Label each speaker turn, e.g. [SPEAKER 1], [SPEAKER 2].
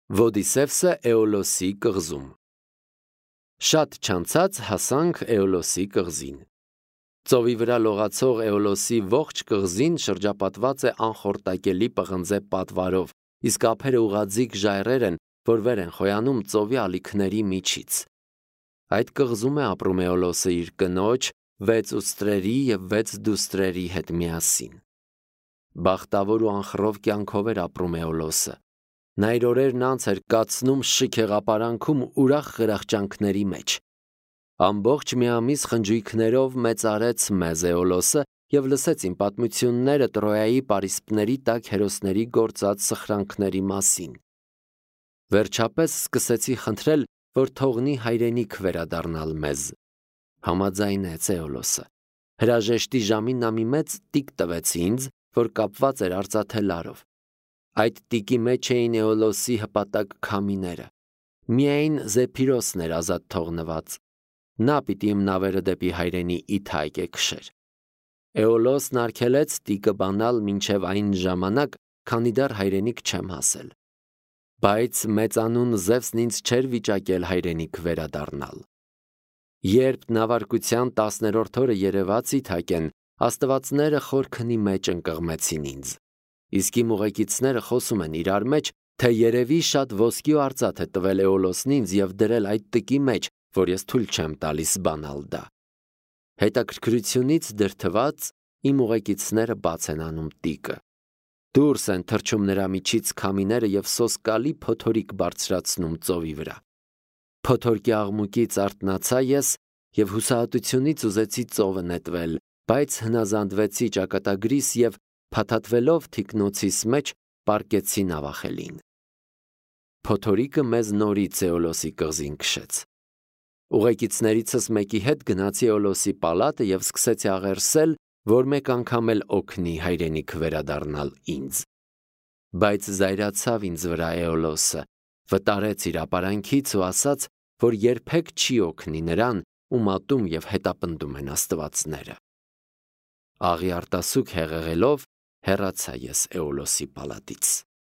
[SPEAKER 1] Ոդիսևսը Էոլոսի կղզում։ Շատ չանցած հասանք Էոլոսի կղզին։ Ծովի վրա լողացող Էոլոսի ողջ կղզին շրջապատված է անխորտակելի պղնձե պատվարով, իսկ ափերը ուղղաձիգ ժայռեր են, որ վեր են խոյանում ծովի ալիքների միջից։ Այդ կղզում է ապրում Էոլոսը իր կնոջ, 6 ուստրերի և 6 դուստրերի հետ միասին։ Բախտավոր ու անխռով կյանքով էր ապրում Էոլոսը։ Նա իր օրերն անց էր կացնում շիկ հեղապարանքում ուրախ խրախճանքների մեջ։ Ամբողջ մի ամիս խնջույքներով մեծարեց մեզ Էոլոսը և լսեց իմ պատմությունները Տրոյայի պարիսպների տակ հերոսների գործած սխրանքների մասին։ Վերջապես սկսեցի խնդրել, որ թողնի հայրենիք վերադառնալ մեզ։ Համաձայնեց Էոլոսը։ Հրաժեշտի ժամին նա մի մեծ տիկ տվեց ինձ, որ կապված էր արծաթելարով։ Այդ տիկի մեջ էին Էոլոսի հպատակ քամիները։ Միայն Զեփիրոսն էր ազատ թողնված։ Նա պիտի իմ նավերը դեպի հայրենի Իթայք քշեր։ Էոլոսն արգելեց տիկը բանալ մինչև այն ժամանակ, քանի դեռ հայրենիք չեմ հասել։ Բայց մեծանուն Զևսն ինձ չէր վիճակել հայրենիք վերադառնալ։ Երբ նավարկության 10-րդ օրը երևաց Իթաքեն, աստվածները խոր քնի մեջ ընկղմեցին ինձ։ Իսկ իմ ուղեկիցները խոսում են իրար մեջ, թե երևի շատ ոսկի ու արծաթ է տվել Էոլոսն ինձ և դրել այդ տկի մեջ, որ ես թույլ չեմ տալիս բանալ դա։ Հետաքրքրությունից դրդված իմ ուղեկիցները բաց են անում տիկը։ Դուրս են թռչում նրա միջից քամիները և սոսկալի փոթորիկ բարձրացնում ծովի վրա։ Փոթորկի աղմուկից արթնացա ես և հուսահատությունից ուզեցի ծովը նետվել, բայց հնազանդվեցի ճակատագրիս և փաթաթվելով թիկնոցիս մեջ պառկեցի նավախելին։ Փոթորիկը մեզ նորից Էոլոսի կղզին քշեց։ Ուղեկիցներիցս մեկի հետ գնացի Էոլոսի պալատը և սկսեցի աղերսել, որ մեկ անգամ էլ օգնի հայրենիք վերադառնալ ինձ։ Բայց զայրացավ ինձ վրա Էոլոսը, վտարեց իր ապարանքից ու ասաց, որ երբեք չի օգնի նրան, ում ատում և հետապնդում են աստվածները։ Աղի արտասուք հեղեղելով հեռացա ես Էոլոսի պալատից։